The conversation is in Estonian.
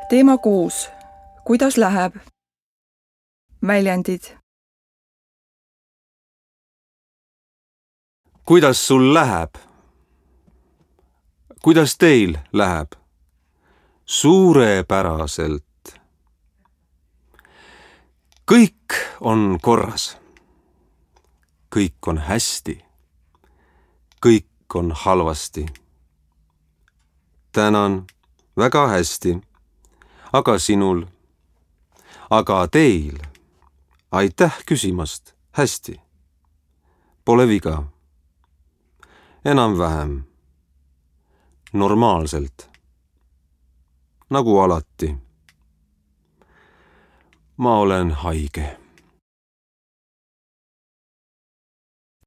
Teema 6. Kuidas läheb? Väljendid. Kuidas sul läheb? Kuidas teil läheb? Suurepäraselt. Kõik on korras. Kõik on hästi. Kõik on halvasti. Tänan, väga hästi. Aga sinul? Aga teil? Aitäh küsimast. Hästi. Pole viga. Enam-vähem. Normaalselt. Nagu alati. Ma olen haige.